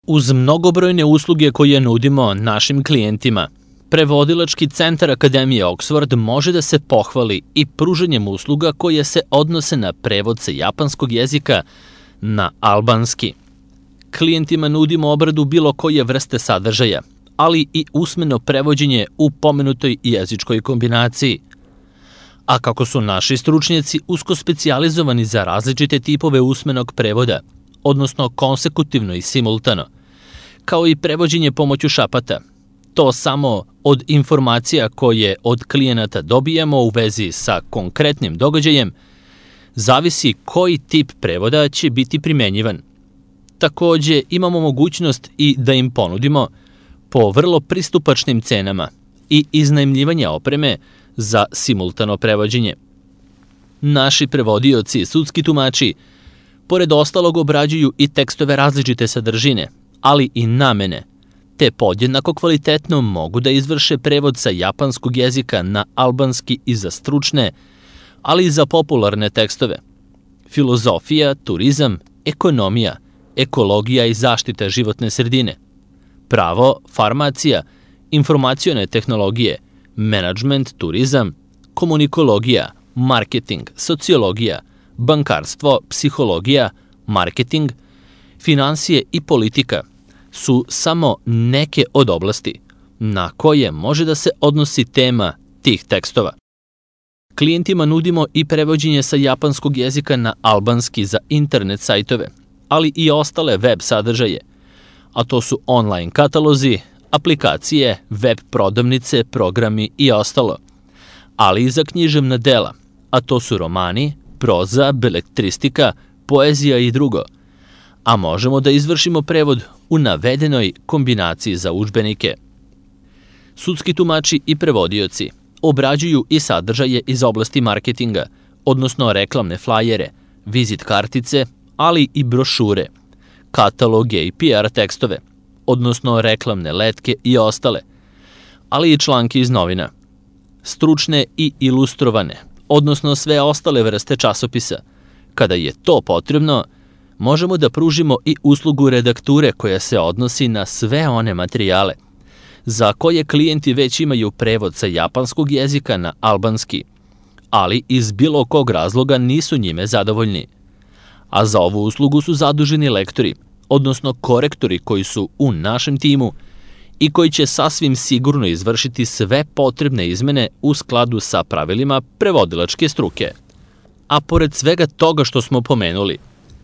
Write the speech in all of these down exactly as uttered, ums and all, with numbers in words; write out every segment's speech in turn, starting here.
Uz mnogobrojne usluge koje nudimo našim klijentima, Prevodilački centar Akademije Oxford može da se pohvali i pružanjem usluga koje se odnose na prevod sa japanskog jezika na albanski. Klijentima nudimo obradu bilo koje vrste sadržaja, ali i usmeno prevođenje u pomenutoj jezičkoj kombinaciji. A kako su naši stručnjaci usko specijalizovani za različite tipove usmenog prevoda, odnosno konsekutivno i simultano, kao i prevođenje pomoću šapata, to samo od informacija koje od klijenata dobijamo u vezi sa konkretnim događajem, zavisi koji tip prevoda će biti primenjivan. Takođe, imamo mogućnost i da im ponudimo po vrlo pristupačnim cenama i iznajmljivanje opreme za simultano prevođenje. Naši prevodioci i sudski tumači, pored ostalog, obrađuju i tekstove različite sadržine, ali i namene, te podjednako kvalitetno mogu da izvrše prevod sa japanskog jezika na albanski i za stručne, ali i za popularne tekstove. Filozofija, turizam, ekonomija, ekologija i zaštita životne sredine, pravo, farmacija, informacione tehnologije, menadžment, turizam, komunikologija, marketing, sociologija, bankarstvo, psihologija, marketing, finansije i politika su samo neke od oblasti na koje može da se odnosi tema tih tekstova. Klijentima nudimo i prevođenje sa japanskog jezika na albanski za internet sajtove, ali i ostale web sadržaje, a to su online katalozi, aplikacije, web prodavnice, programi i ostalo, ali i za književna dela, a to su romani, proza, beletristika, poezija i drugo, a možemo da izvršimo prevod u navedenoj kombinaciji za udžbenike. Sudski tumači i prevodioci obrađuju i sadržaje iz oblasti marketinga, odnosno reklamne flajere, vizit kartice, ali i brošure, kataloge i P R tekstove, odnosno reklamne letke i ostale, ali i članke iz novina, stručne i ilustrovane, odnosno sve ostale vrste časopisa. Kada je to potrebno, možemo da pružimo i uslugu redakture koja se odnosi na sve one materijale za koje klijenti već imaju prevod sa japanskog jezika na albanski, ali iz bilo kog razloga nisu njime zadovoljni. A za ovu uslugu su zaduženi lektori, odnosno korektori koji su u našem timu i koji će sasvim sigurno izvršiti sve potrebne izmene u skladu sa pravilima prevodilačke struke. A pored svega toga što smo pomenuli,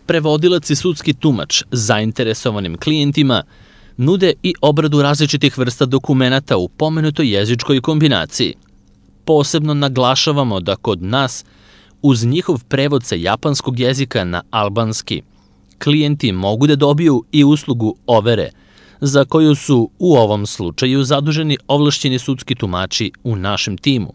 prevodilac i sudski tumač zainteresovanim klijentima nude i obradu različitih vrsta dokumenata u pomenutoj jezičkoj kombinaciji. Posebno naglašavamo da kod nas, uz njihov prevod sa japanskog jezika na albanski, klijenti mogu da dobiju i uslugu overe, za koju su u ovom slučaju zaduženi ovlašćeni sudski tumači u našem timu,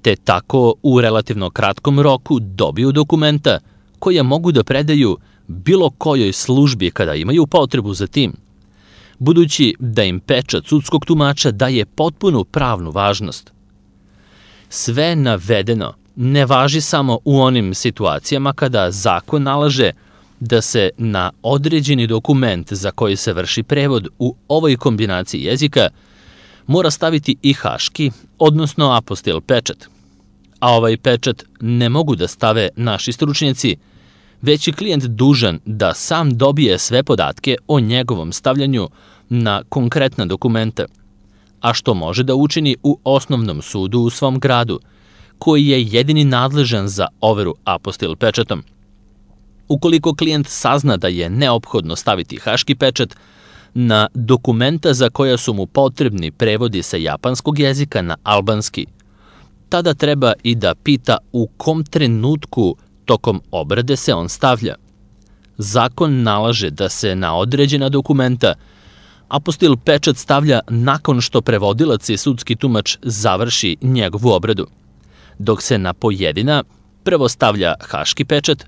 te tako u relativno kratkom roku dobiju dokumenta koja mogu da predaju bilo kojoj službi kada imaju potrebu za tim, budući da im pečat sudskog tumača daje potpunu pravnu važnost. Sve navedeno ne važi samo u onim situacijama kada zakon nalaže da se na određeni dokument za koji se vrši prevod u ovoj kombinaciji jezika mora staviti i haški, odnosno apostil pečat. A ovaj pečat ne mogu da stave naši stručnjaci, već je klijent dužan da sam dobije sve podatke o njegovom stavljanju na konkretna dokumenta, a što može da učini u osnovnom sudu u svom gradu, koji je jedini nadležan za overu apostil pečatom. Ukoliko klijent sazna da je neophodno staviti haški pečat na dokumenta za koja su mu potrebni prevodi sa japanskog jezika na albanski, tada treba i da pita u kom trenutku tokom obrade se on stavlja. Zakon nalaže da se na određena dokumenta apostil pečat stavlja nakon što prevodilac i sudski tumač završi njegovu obradu, dok se na pojedina prvo stavlja haški pečat,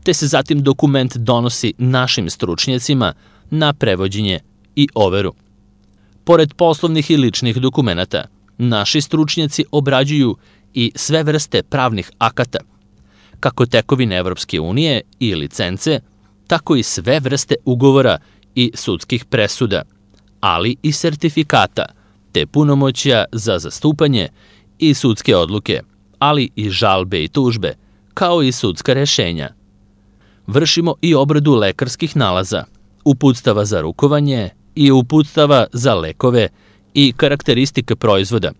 te se zatim dokument donosi našim stručnjacima na prevođenje i overu. Pored poslovnih i ličnih dokumenata, naši stručnjaci obrađuju i sve vrste pravnih akata, kako tekovine Evropske unije i licence, tako i sve vrste ugovora i sudskih presuda, ali i sertifikata, te punomoćja za zastupanje i sudske odluke, ali i žalbe i tužbe, kao i sudska rešenja. Vršimo i obradu lekarskih nalaza, uputstava za rukovanje i uputstava za lekove i karakteristike proizvoda,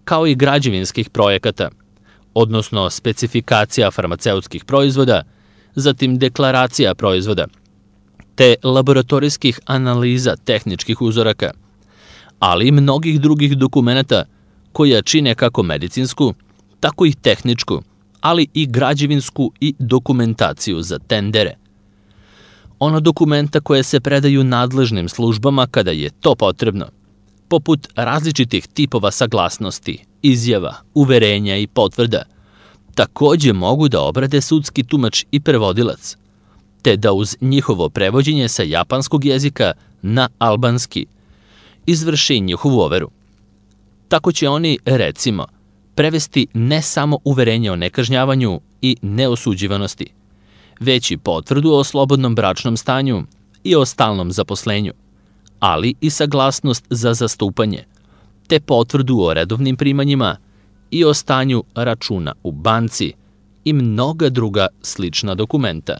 kao i građevinskih projekata, odnosno specifikacija farmaceutskih proizvoda, zatim deklaracija proizvoda, te laboratorijskih analiza tehničkih uzoraka, ali i mnogih drugih dokumenata koja čine kako medicinsku, tako i tehničku, ali i građevinsku i dokumentaciju za tendere. Ona dokumenta koje se predaju nadležnim službama kada je to potrebno, poput različitih tipova saglasnosti, izjava, uverenja i potvrda, takođe mogu da obrade sudski tumač i prevodilac, te da uz njihovo prevođenje sa japanskog jezika na albanski izvrši njihovu overu. Tako će oni, recimo, prevesti ne samo uverenje o nekažnjavanju i neosuđivanosti, već i potvrdu o slobodnom bračnom stanju i o stalnom zaposlenju, ali i saglasnost za zastupanje, te potvrdu o redovnim primanjima i o stanju računa u banci i mnoga druga slična dokumenta.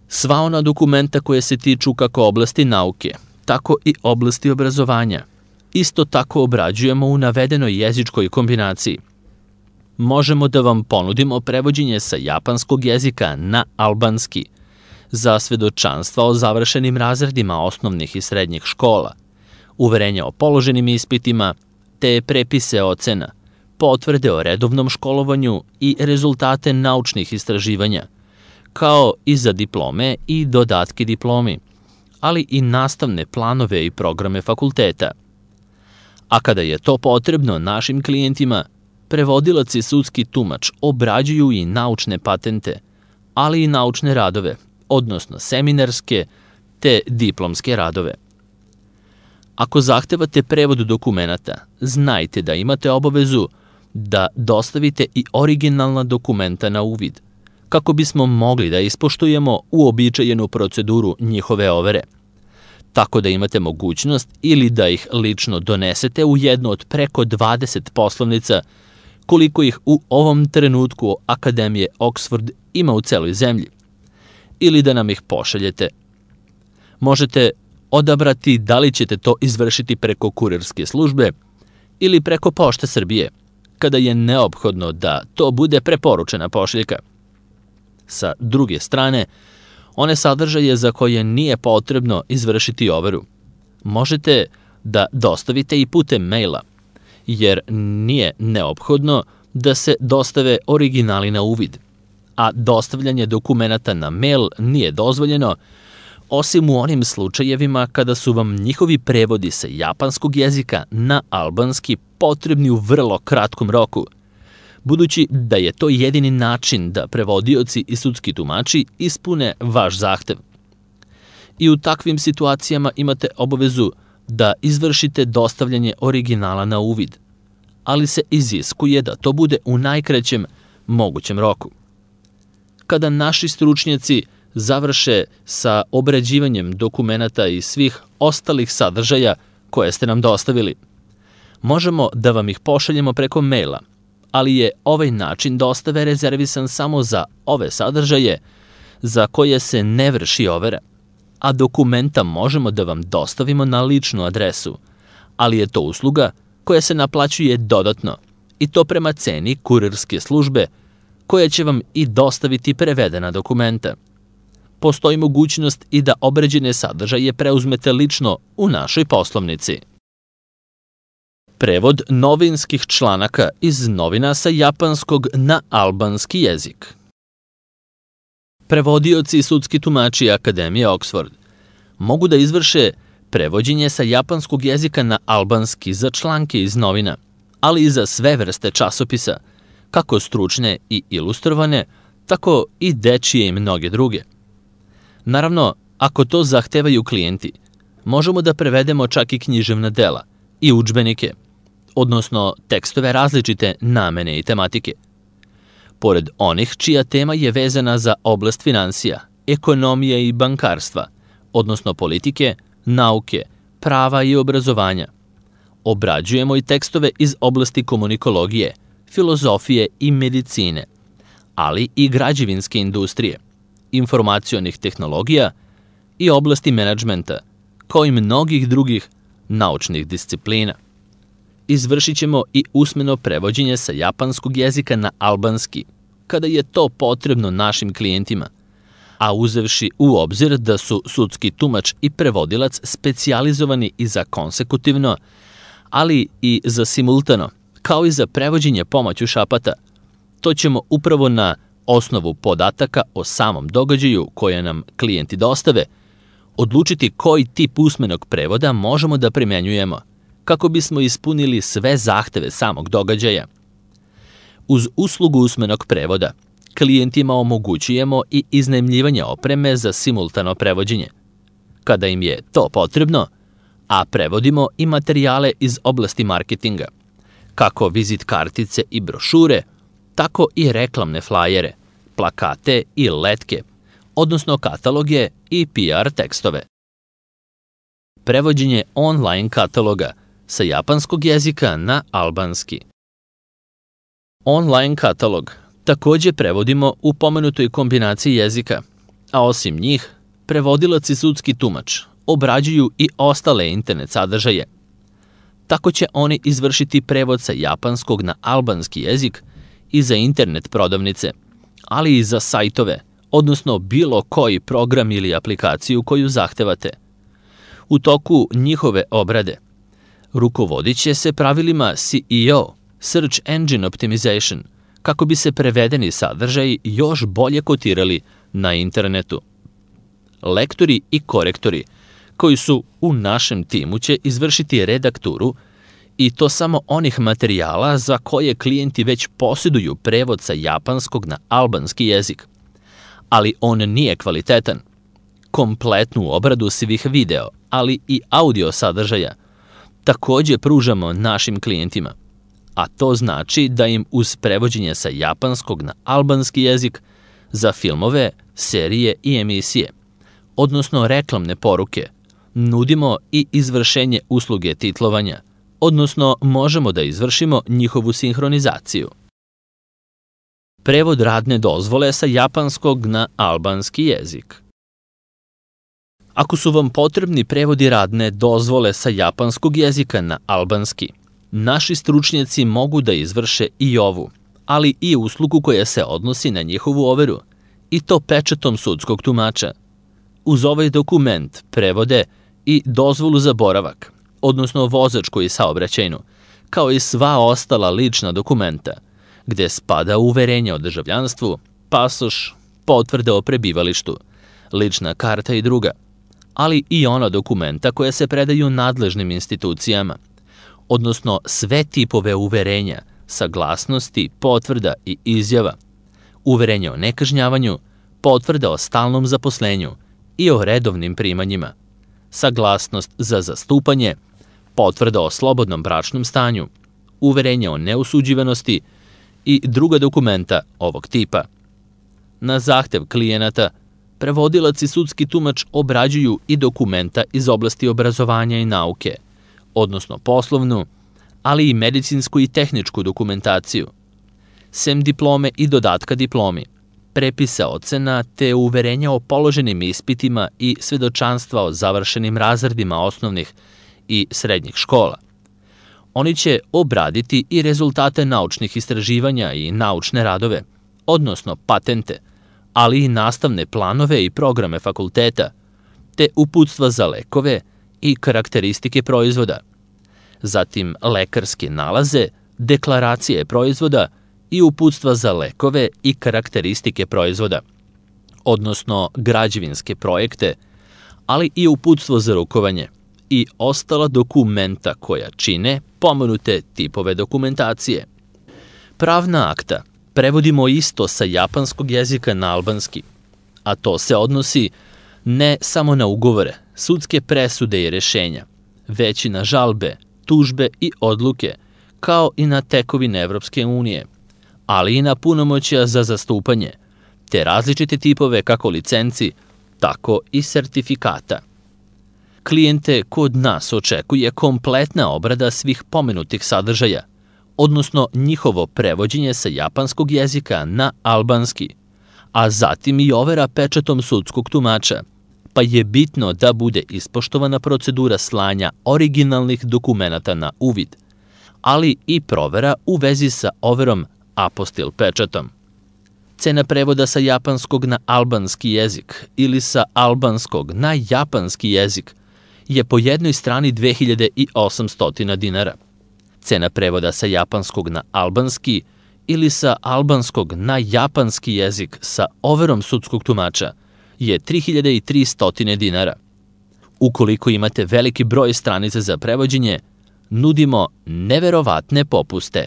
Sva ona dokumenta koje se tiču kako oblasti nauke, tako i oblasti obrazovanja, isto tako obrađujemo u navedenoj jezičkoj kombinaciji. Možemo da vam ponudimo prevođenje sa japanskog jezika na albanski, za svedočanstva o završenim razredima osnovnih i srednjih škola, uverenja o položenim ispitima, te prepise ocena, potvrde o redovnom školovanju i rezultate naučnih istraživanja, kao i za diplome i dodatke diplomi, ali i nastavne planove i programe fakulteta. A kada je to potrebno našim klijentima, prevodilac i sudski tumač obrađuju i naučne patente, ali i naučne radove, odnosno seminarske te diplomske radove. Ako zahtevate prevod dokumenata, znajte da imate obavezu da dostavite i originalna dokumenta na uvid, kako bismo mogli da ispoštujemo uobičajenu proceduru njihove overe, tako da imate mogućnost ili da ih lično donesete u jednu od preko dvadeset poslovnica, koliko ih u ovom trenutku Akademije Oxford ima u celoj zemlji, ili da nam ih pošaljete. Možete odabrati da li ćete to izvršiti preko kurirske službe ili preko Pošte Srbije, kada je neophodno da to bude preporučena pošiljka. Sa druge strane, one sadržaje za koje nije potrebno izvršiti overu, možete da dostavite i putem maila, jer nije neophodno da se dostave originali na uvid, a dostavljanje dokumenata na mail nije dozvoljeno, osim u onim slučajevima kada su vam njihovi prevodi sa japanskog jezika na albanski potrebni u vrlo kratkom roku, budući da je to jedini način da prevodioci i sudski tumači ispune vaš zahtev. I u takvim situacijama imate obavezu da izvršite dostavljanje originala na uvid, ali se iziskuje da to bude u najkraćem mogućem roku. Kada naši stručnjaci završe sa obrađivanjem dokumenata i svih ostalih sadržaja koje ste nam dostavili, možemo da vam ih pošaljemo preko maila, ali je ovaj način dostave rezervisan samo za ove sadržaje za koje se ne vrši overa, a dokumenta možemo da vam dostavimo na ličnu adresu, ali je to usluga koja se naplaćuje dodatno i to prema ceni kurirske službe koja će vam i dostaviti prevedena dokumenta. Postoji mogućnost i da obrađene sadržaje preuzmete lično u našoj poslovnici. Prevod novinskih članaka iz novina sa japanskog na albanski jezik. Prevodioci i sudski tumači Akademije Oxford mogu da izvrše prevođenje sa japanskog jezika na albanski za članke iz novina, ali i za sve vrste časopisa, kako stručne i ilustrovane, tako i dečije i mnoge druge. Naravno, ako to zahtevaju klijenti, možemo da prevedemo čak i književna dela i udžbenike, odnosno tekstove različite namene i tematike. Pored onih čija tema je vezana za oblast finansija, ekonomije i bankarstva, odnosno politike, nauke, prava i obrazovanja. Obrađujemo i tekstove iz oblasti komunikologije, filozofije i medicine, ali i građevinske industrije, informacionih tehnologija i oblasti menadžmenta, kao i mnogih drugih naučnih disciplina. Izvršit ćemo i usmeno prevođenje sa japanskog jezika na albanski, kada je to potrebno našim klijentima, a uzevši u obzir da su sudski tumač i prevodilac specijalizovani i za konsekutivno, ali i za simultano, kao i za prevođenje pomoću šapata. To ćemo upravo na osnovu podataka o samom događaju koje nam klijenti dostave, odlučiti koji tip usmenog prevoda možemo da primenjujemo, kako bismo ispunili sve zahteve samog događaja. Uz uslugu usmenog prevoda, klijentima omogućujemo i iznajmljivanje opreme za simultano prevođenje, kada im je to potrebno, a prevodimo i materijale iz oblasti marketinga, kako vizit kartice i brošure, tako i reklamne flajere, plakate i letke, odnosno kataloge i P R tekstove. Prevođenje online kataloga sa japanskog jezika na albanski. Online katalog takođe prevodimo u pomenutoj kombinaciji jezika, a osim njih, prevodilac i sudski tumač obrađuju i ostale internet sadržaje. Tako će oni izvršiti prevod sa japanskog na albanski jezik i za internet prodavnice, ali i za sajtove, odnosno bilo koji program ili aplikaciju koju zahtevate. U toku njihove obrade rukovodit će se pravilima S E O, Search Engine Optimization, kako bi se prevedeni sadržaji još bolje kotirali na internetu. Lektori i korektori koji su u našem timu će izvršiti redakturu i to samo onih materijala za koje klijenti već posjeduju prevod sa japanskog na albanski jezik, ali on nije kvalitetan. Kompletnu obradu svih video, ali i audio sadržaja takođe pružamo našim klijentima, a to znači da im uz prevođenje sa japanskog na albanski jezik za filmove, serije i emisije, odnosno reklamne poruke, nudimo i izvršenje usluge titlovanja, odnosno možemo da izvršimo njihovu sinhronizaciju. Prevod radne dozvole sa japanskog na albanski jezik. Ako su vam potrebni prevodi radne dozvole sa japanskog jezika na albanski, naši stručnjaci mogu da izvrše i ovu, ali i uslugu koja se odnosi na njihovu overu, i to pečatom sudskog tumača. Uz ovaj dokument prevode i dozvolu za boravak, odnosno vozačku i saobraćajnu, kao i sva ostala lična dokumenta, gde spada uverenje o državljanstvu, pasoš, potvrda o prebivalištu, lična karta i druga, ali i ona dokumenta koja se predaju nadležnim institucijama, odnosno sve tipove uverenja, saglasnosti, potvrda i izjava, uverenje o nekažnjavanju, potvrda o stalnom zaposlenju i o redovnim primanjima, saglasnost za zastupanje, potvrda o slobodnom bračnom stanju, uverenje o neusuđivanosti i druga dokumenta ovog tipa. Na zahtev klijenata, prevodilac i sudski tumač obrađuju i dokumenta iz oblasti obrazovanja i nauke, odnosno poslovnu, ali i medicinsku i tehničku dokumentaciju, sem diplome i dodatka diplomi, prepisa ocena te uverenja o položenim ispitima i svedočanstva o završenim razredima osnovnih i srednjih škola. Oni će obraditi i rezultate naučnih istraživanja i naučne radove, odnosno patente, ali i nastavne planove i programe fakulteta, te uputstva za lekove i karakteristike proizvoda, zatim lekarske nalaze, deklaracije proizvoda i uputstva za lekove i karakteristike proizvoda, odnosno građevinske projekte, ali i uputstvo za rukovanje i ostala dokumenta koja čine pomenute tipove dokumentacije. Pravna akta prevodimo isto sa japanskog jezika na albanski, a to se odnosi ne samo na ugovore, sudske presude i rešenja, već i na žalbe, tužbe i odluke, kao i na tekovine Evropske unije, ali i na punomoćja za zastupanje, te različite tipove kako licenci, tako i sertifikata. Klijente kod nas očekuje kompletna obrada svih pomenutih sadržaja, odnosno njihovo prevođenje sa japanskog jezika na albanski, a zatim i overa pečatom sudskog tumača, pa je bitno da bude ispoštovana procedura slanja originalnih dokumenata na uvid, ali i provera u vezi sa overom apostil pečatom. Cena prevoda sa japanskog na albanski jezik ili sa albanskog na japanski jezik je po jednoj strani dve hiljade osamsto dinara. Cena prevoda sa japanskog na albanski ili sa albanskog na japanski jezik sa overom sudskog tumača je tri hiljade tristo dinara. Ukoliko imate veliki broj stranica za prevođenje, nudimo neverovatne popuste